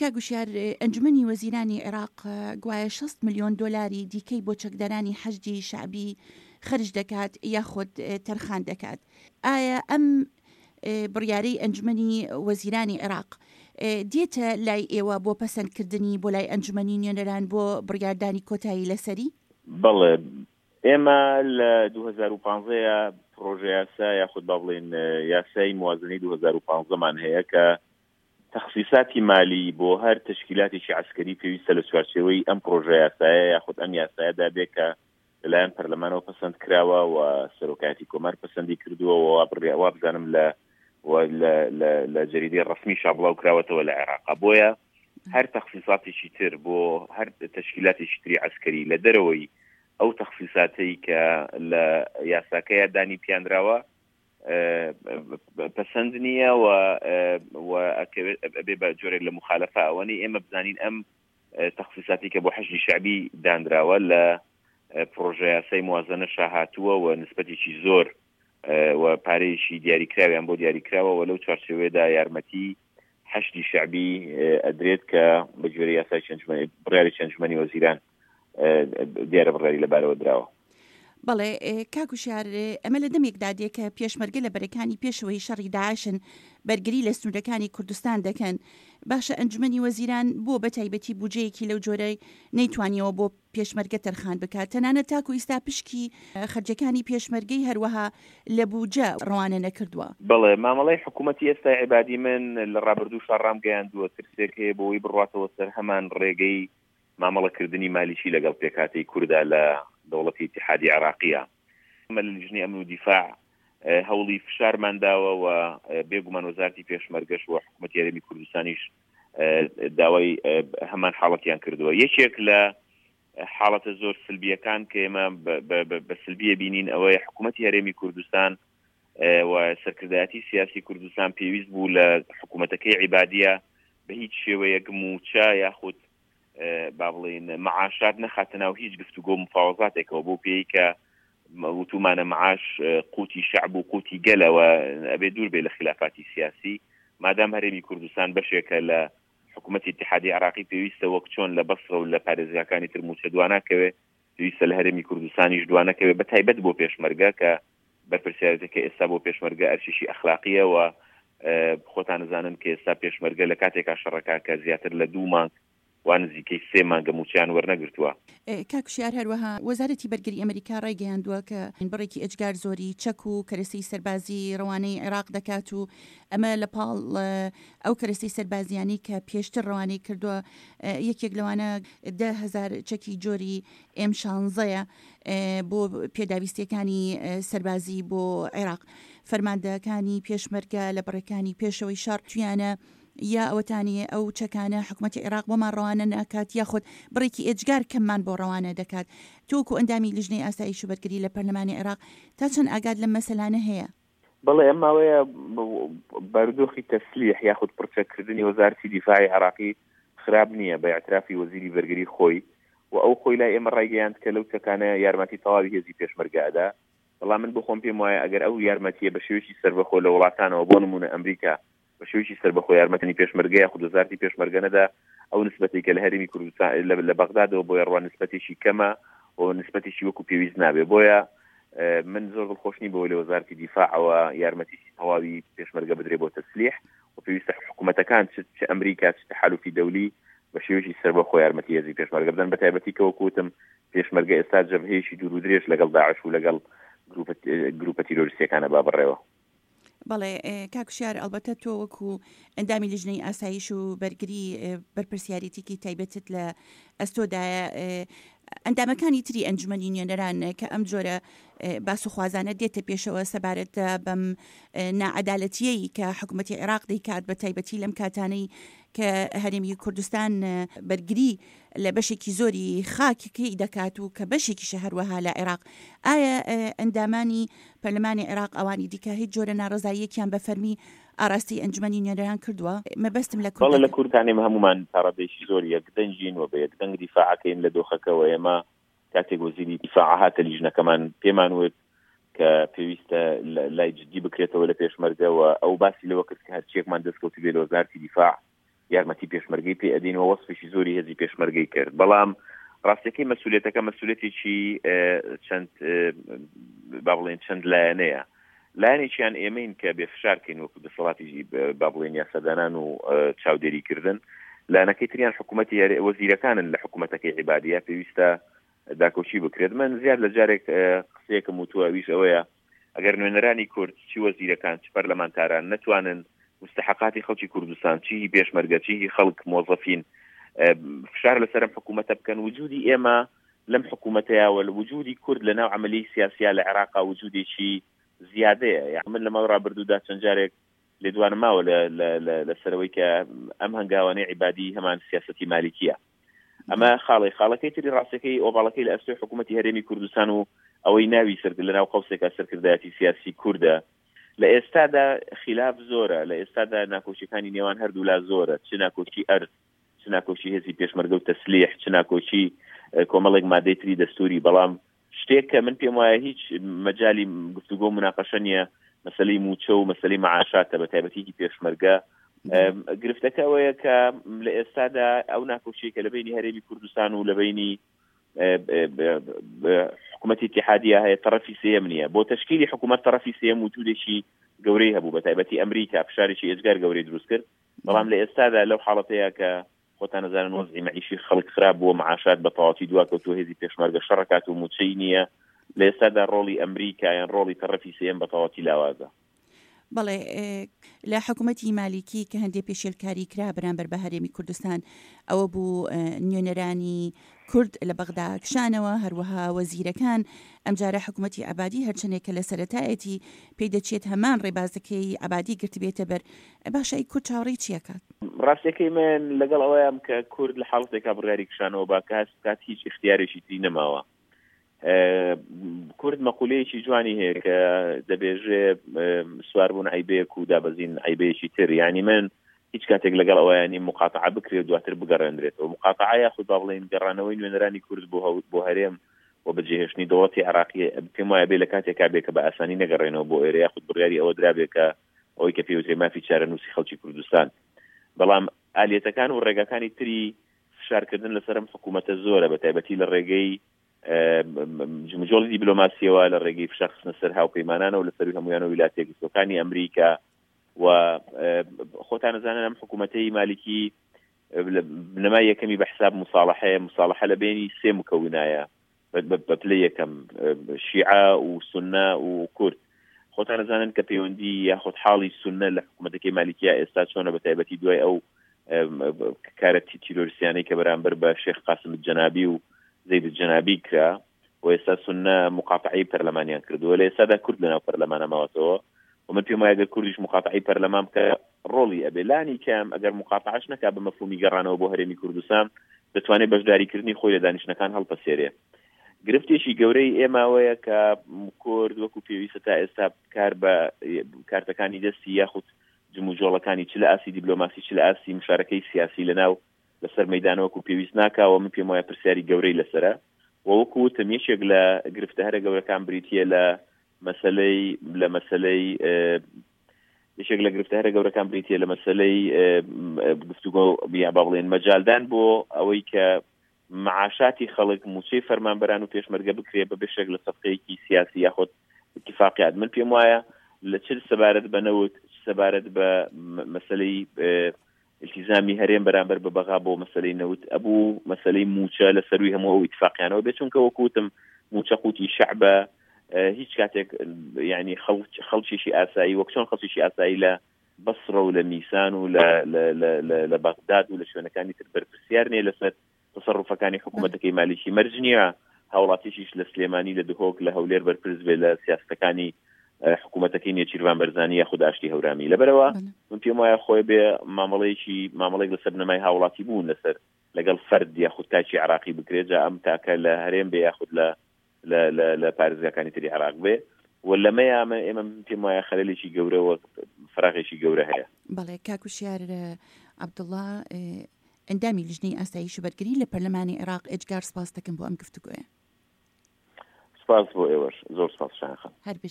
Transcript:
کاک وشیار، ئەنجومەنی وەزیرانی عێراق گوایە 60 ملیۆن دۆلاری دیکەی بۆ چەکدارانی حەشدی شەعبی خەرج دەکات یاخود تەرخان دەکات. ئایا ئەم بڕیارەی ئەنجومەنی وەزیرانی عێراق دێتە لای ئێوە بۆ پەسەندکردنی بۆ لای ئەنجومەنی نوێنەران بۆ بڕیاردانی کۆتایی لەسەری؟ بەڵێ، ئێمە لە 2015 ە پڕۆژەیاسا یاخود با بڵێین یاسای موازنەی 2015 مان هەیە کە تەخسیساتی مالی بۆ هەر تەشکیلاتێکی عەسکەری پێویستە لە چوارچێوەی ئەم پڕۆژەیاسایە یاخود ئەم یاسایەدا بێ کە لەلایەن پەرلەمانەوە پەسەند کراوە و سەرۆکایەتی کۆمار پەسەندی کردووە و وا وابزانم لە لە جەریدەی ڕەسمی شا بڵاو کراوەتەوە لە عێراقا بۆیە هەر تەخسیساتێکی تر بۆ هەر تەشکیلاتێکی تری عەسکەری لە دەرەوەی ئەو تەخسیساتەی کە لە یاساکەیە دانی پیانراوە پەسەند نییە و ئەبێ بە جۆرێک لە مخالفە ئەوەنی ئێمە بزانین ئەم تەخسیساتی کە بۆ حەشدی شەعبی دانراوە لە پڕۆژەیاسای موازەنەشا هاتووە و نسبەتێکی زۆر و پارەیەکی دیاریکراویان بۆ دیاریکراوە و لەو چوارچێوەیەدا یارمەتی حەشدی شەعبی ئەدرێت کە بە گوێرەی یاسای بڕیاری ئەنجومەنی وەزیران دیارە بڕیاری لەبارەوە دراوە. بەڵێ کاک وشیار، ئەمە لە دەمێکدا دێ کە پێشمەرگە لە بەرەکانی پێشەوەی شەڕی داعشن، بەرگری لە سنوورەکانی کوردستان دەکەن. باشە ئەنجومەنی وەزیران بۆ بە تایبەتی بوجەیەکی لەو جۆرەی نەیتوانیەوە بۆ پێشمەرگە تەرخان بکات؟ تەنانەت تاکو ئیستا پشکی خەرجەکانی پێشمەرگەی هەروەها لە بوجە ڕەوانە نەکردووە. بەڵێ مامەڵەی حکوومەتی ئێستای عەبادی من لە ڕابردووشا ڕامگەیاندووە ترسێک هەیە بۆوەی بڕواتەوە سەر هەمان ڕێگەی مامەڵە کردنی مالیکی لەگەڵ پێکهاتەی کوردا لە دەوڵەتی ئیتیحادی عێراقیە. ئێمە لە لیژنەی ئەمن و دیفاع هەوڵی فشارمان داوە و بێ گومان وەزارەتی پێشمەرگەش و حکوومەتی هەرێمی کوردستانیش داوای هەمان حاڵەتیان کردووە. یەکێک لە حاڵەتە زۆر سلبیەکان کە ئێمە بە سلبیە بینین ئەوەیە حکوومەتی هەرێمی کوردستان و سەرکردایەتی سیاسی کوردستان پێویست بوو لە حکوومەتەکەی عیبادیە بە هیچ شێوەیەک مووچە یاخود با بڵێین معاشات نەخاتە ناو هیچ گفتوگۆ مفاوەزاتێکەوە بۆ پێی کە وتومانە معاش قوتی شعب و قوتی گەلەوە ئەبێ دوور بێ لە خلافاتی سیاسی مادام هەرێمی کوردستان بەشێکە لە حکوومەتی اتحادی عراقی پێویستە وەک چۆن لە بەسرە و لە پارێزگاکانی تر موچە دواناکەوێ پێویستە لە هەرێمی کوردستانیش دوانەکەوێ بە تایبەت بۆ پێشمەرگە کە بەرپرسیارێتەکە ئێستا بۆ پێشمەرگە ئەرکێکی ئەخلاقییە و خۆتان ئەزانن کە ئێستا پێشمەرگە لە کاتێکا شەڕەکا کە زیاتر لە دوو مانگ وا نزیکەی سێ مانگە مووچەیان وەرنەگرتووە. کاک وشیار هەروەها وەزارەتی بەرگری ئەمریکا ڕایگەیاندووە کە بڕێکی ئێجگار زۆری چەک و کەرەسەی سەربازی ڕەوانەی عێراق دەکات و ئەمە لە پاڵ ئەو کەرەسەی سەربازیانەی کە پێشتر ڕەوانەی کردووە یەکێک لەوانە 10,000 چەکی جۆری ئێم شانزەیە بۆ پێداویستیەکانی سەربازی بۆ عێراق. فەرماندەکانی پێشمەرگە لە بەڕەکانی پێشەوەی شەڕ تویانە یا ئەوەتانی ئەو چەکانە حکومەتی عێراق بۆمان ڕەوانە ناکات یاخود بڕێکی ئێجگار کەممان بۆ ڕەوانە دەکات. تۆ وەکو ئەندامی لیژنەی ئاسایش و بەرگری لە پەرلەمانی عێراق تا چەند ئاگات لەم مەسەلانە هەیە؟ بەڵێ ئەم ماوەیە بارودۆخی تەسلیح یاخود پڕچەککردنی وەزارەتی دیفاعی عێراقی خراپ نییە بە ئیعترافی وەزیری بەرگری خۆی و ئەو خۆی لای ئێمە ڕایگەیاند کە لەو چەکانە یارمەتی تەواوی هێزی پێشمەرگە ئەدا بەڵام من بۆ خۆم پێم وایە ئەگەر ئەو یارمەتیە بە شێوەیەکی سەربەخۆ لە وڵاتانەوە بۆ نمونە ئەمریکا بە شێوەیەکی سەربەخۆ یارمەتنی پێشمەرگە یاخود وەزارەتی پێشمەرگە نەدا ئەو نسبەتەی کە لە هەرێمی کوردستان لە بەغدادەوە بۆیە ڕوا نسبەتێکی کەمە و نسبەتێکی وەکو پێویست نابێ بۆیە من زۆر دڵخۆش نیم بەوەی لە وەزارەتی دیفاعەوە یارمەتیی تەواوی پێشمەرگە بدرێ بۆ تەسلیح و پێویستە حکوومەتەکان چ ئەمریکا چ تەحالوفی دەولی بە شێوەیەکی سەربەخۆ یارمەتی هێزی پێشمەرگە بدەن بە تایبەتی کە وەکو وتم پێشمەرگە ئێستا جەبهەیەکی دوور و درێژ لەگەڵ داعش و لەگەڵ گروپە تیرۆریستیەکانە با بڕێوە. بەڵێ کاک وشیار ئەڵبەتە تۆ وەکو ئەندامی لیژنەی ئاسایش و بەرگری بەرپرسیارێتیکی تایبەتت لە ئەستۆدایە ئەندامەکانی تری ئەنجومەنی نوێنەران کە ئەم جۆرە باس و خوازانە دێتە پێشەوە سەبارەت بەم ناعەدالەتیەی کە حکوومەتی عێراق دەیکات بە تایبەتی لەم کاتانەی کە هەرێمی کوردستان بەرگری لە بەشێکی زۆری خاکەکەی دەکات و کە بەشێکیشە هەروەها لە عێراق ئایا ئەندامانی پەرلەمانی عێراق ئەوانی دیکە هیچ جۆرە ناڕەزاییەکیان بە فەرمی ئاراستەی ئەنجومەنی نوێنەران کردووە؟ مەبەستم لە بەڵێ لە کوردستان ئێمە هەموومان تا ڕادەیەکی زۆر یەکدەنگین و بە یەکدەنگ دیفاع ئەکەین لە دۆخەکە و ئێمە کاتێک وەزیری دیفاع هاتە لیژنەکەمان پێمان وت کە پێویستە لای جدی بکرێتەوە لە پێشمەرگە و ئەو باسی لەوە کرد کە هەرچیەکمان دەستکەوتبێ لە وەزارەتی دیفاع. یارمەتی پێشمەرگەی پێ ئەدەین و وەسفێکی زۆری هێزی پێشمەرگەی کرد بەڵام ڕاستیەکەی مەسوولێتەکە مەسوولێتێکی چەند با بڵێن چەند لایەنەیە لایەنێکیان ئێمەین کە بێ فشار کەین وەکو دەسەڵاتی با بڵێن یاسادانان و چاودێریکردن لایەنەکەی تریان حکوومەتی هەرێ وەزیرەکانن لە حکوومەتەکەی عیبادیە پێویستە داکۆکی بکرێت من زیاد لە جارێک قسەیەکم وتووە ئەویش ئەوەیە ئەگەر نوێنەرانی کورد چی وەزیرەکان چ پەرلەمانتاران نەتوانن مستحقاتی خەڵکی کوردستان چی هی پێشمەرگە چی هی خەڵک مۆزەفین فشار لەسەرم حکوومەتە بکەن وجودی ئێمە لەم حکوومەتەیە وە لە وجودی کورد لە ناو عملی سیاسیا لە عێراقا وجودێکی زیادەیە یان من لە ماوەی ڕابردوودا چەند جارێک لێدوانم ماوە لەسەرەوەی کە ئەم هەنگاوانەی عیبادی هەمان سیاسەتی مالیکیە ئەمە خاڵی خاڵەکەی تری ڕاستەکەی ئۆباڵەکەی لە ئەستۆی حکوومەتی هەرێمی کوردستان و ئەوەی ناوی سەر لە ناو قەوسێکا سەرکردایەتی سیاسی کوردە لە ئێستادا خلاف زۆرە لە ئێستادا ناکۆکیەکانی نێوان هەردوولا زۆرە چ ناکۆکی ئەرز چ ناکۆکی هێزی پێشمەرگە و تەسلیح چ ناکۆکی کۆمەڵێک مادەی تری دەستوری بەڵام شتێک کە من پێم وایە هیچ مەجالی گفتوگۆ و مناقەشە نییە مەسەلەی مووچە و مەسەلەی مەعاشاتە بە تایبەتی هی پێشمەرگە گرفتەکە ئەوەیە کە لە ئێستادا ئەو ناکۆکیەی کە لە بینی هەرێمی کوردستان و لە بینی حکوومەتی اتحادیە هەیە تەرەفی سێیەم نییە بۆ تەشکیلی حکوومەت تەرەفی سێیەم وجودێکی گەورەی هەبوو بە تایبەتی ئەمریکا فشارێکی ئێجگار گەورەی دروست کرد بەڵام لە ئێستادا لەو حاڵەتەیە کە خۆتان ئەزانن وەزعی مەعیشی خەڵک خراپ بووە، معاشات بە تەواوەتی دواکەوتووە، هێزی پێشمەرگە شەڕەکات و مووچەی نییە، لە ئێستادا ڕۆڵی ئەمریکا یان ڕۆڵی تەڕەفی سێیەم بە تەواوەتی لاوازە. بەڵێ لە حکوومەتی مالیکی کە هەندێ پێشێلکاری کرا بەرامبەر بە هەرێمی کوردستان ئەوە بوو نوێنەرانی کورد لە بەغدا کشانەوە، هەروەها وەزیرەکان، ئەمجارە حکومەتی عەبادی هەرچەندێک کە لە سەرەتایەتی پێی دەچێت هەمان ڕێبازەکەی عەبادی گرتبێتە بەر، باشە ئەی کورد چاوەڕێی چی ئەکات؟ ڕاستیەکەی من لەگەڵ ئەوەیام کە کورد لە حاڵەتێکا بڕیاری کشانەوە با کە هەست بکات هیچ ئیختیارێکی تری نەماوە. کورد مەقولەیەکی جوانی هەیە کە دەبێژێ سواربوون عەیبەیەک و دابەزین عەیبەیەکی تر، یانی من هیچ کاتێک لەگەڵ ئەوەیا نیم موقاتەعە بکرێ و دواتر بگەڕێندرێتەوە. موقاتەعە یاخود با بڵێین گەڕانەوەی نوێنەرانی کورد بۆ بۆ هەرێم و بەجێهێشتنی دەوڵەتی عێراقی پێم وایە بێ لە کاتێکا بێ کە بە ئاسانی نەگەڕێنەوە بۆ ئێرە یاخود بڕیاری ئەوە درابێ کە ئەوەی کە پێوترێ مافی چارەنووسی خەڵکی کوردستان. بەڵام ئالیەتەکان و ڕێگاکانی تری فشارکردن لەسەر ئەم حکوومەتە زۆرە بە تایبەتی لە ڕێگەی جموجۆڵی دیبلۆماسیەوە لە ڕێگەی فشار خستنە سەر هاوپەیمانانەوە لە سەروی هەمویانەوە ویلایەتە یەکگرتووەکانی ئەمریکا و خۆتان ئەزانن ئەم حکوومەتەی مالیکی بنەمای یەکەمی بە حساب مساڵحەیە مساڵحە لە بینی سێ مکەونایە بە پلەی یەکەم شیعە و سونە و کورد خۆتان ئەزانن کە پەیوەندی یاخود حاڵی سونە لە حکوومەتەکەی مالیکیا ئێستا چۆنە بە تایبەتی دوای ئەو کارە تیرۆریستیانەی کە بەرامبەر بە شێخ قاسم جەنابی و زەید جەنابی کرا و ئێستا سونە مقاتعی پەرلەمانیان کردووە لە ئێستادا کورد لەناو پەرلەمانە ماوەتەوە و من پێم وایە گەر کوردیش مقاتعی پەرلەمان بکە ڕۆڵی ئەبێ لانی کەم ئەگەر مقاتعەش نەکا بە مەفهومی گەڕانەوە بۆ هەرێمی کوردستان دەتوانێت بەشداریکردنی خۆی لە دانیشتنەکان هەڵپەسێرێ گرفتێکی گەورەی ئێمە ئەوەیە کە کورد وەکو پێویستە تا ئێستا کار بە کارتەکانی دەستی یاخود جموجۆڵەکانی چ لە ئاستی دیبلۆماسی چ لە ئاستی مشارەکەی سیاسی لەناو لەسەر مەیدانە وەکو پێویست ناکا و من پێم وایە پرسیاری گەورەی لەسەرە و وەکو وتم یەکێک لە گرفتە هەرە گەورەکان بریتییە لە مەسەلەی لە مەسەلەی یەکێک لە گرفتە هەرە گەورەکان بریتییە لە مەسەلەی گفتوگۆ یا با بڵێن مەجالدان بۆ ئەوەی کە معاشاتی خەڵک موچەی فەرمانبەران و پێشمەرگە بکرێ بە بەشێک لە سەفقەیەکی سیاسی یاخود اتفاقیات من پێم وایە لە چ سەبارەت بە نەوت چ سەبارەت بە مەسەلەی التیزامی هەرێم بەرامبەر بە بەغا بۆ مەسەلەی نەوت ئەبوو مەسەلەی موچە لە سەروی هەموو ئەو ئیتفاقیانەوە بێت چونکە وەکو وتم موچە قوتی شەعبە هیچ کاتێک یعنی خەڵکێکی ئاسایی وەک چۆن خەڵکێکی ئاسایی لە بەسڕە و لە میسان و لە بەغداد و لە شوێنەکانی تر بەرپرسیار نییە لەسەر تەسەروفەکانی حکوومەتەکەی مالیکی مەرج نییە هاوڵاتیشیش لە سلێمانی لە دهۆک لە هەولێر بەرپرس بێ لە سیاستەکانی حکوومەتەکەی نێچیرڤان بەرزانی یاخود ئاشتی هەورامی لەبەرەوە من پێم وایە خۆی بێ مامەڵەیەکی مامەڵێک لەسەر بنەمای هاوڵاتی بوون لەسەر لەگەڵ فەرد یاخود تاکی عراقی بکرێت جا ئەم تاکە لە هەرێم بێ یاخود لە لە لە لە پارێزگاکانی تری عێراق بێ و لەمەیا من ئێمە من پێم وایە خەلەلێکی گەورە و فراغێکی گەورە هەیە. بەڵێ کاک وشیار عەبدوڵا ئەندامی لیژنەی ئاسایش و بەرگری لە پەرلەمانی عێراق ئێجگار سپاست دەکەم بۆ ئەم گفتوگۆیە. سپاس بۆ ئێوەش زۆر سپاس شایان خان. هەر بژی.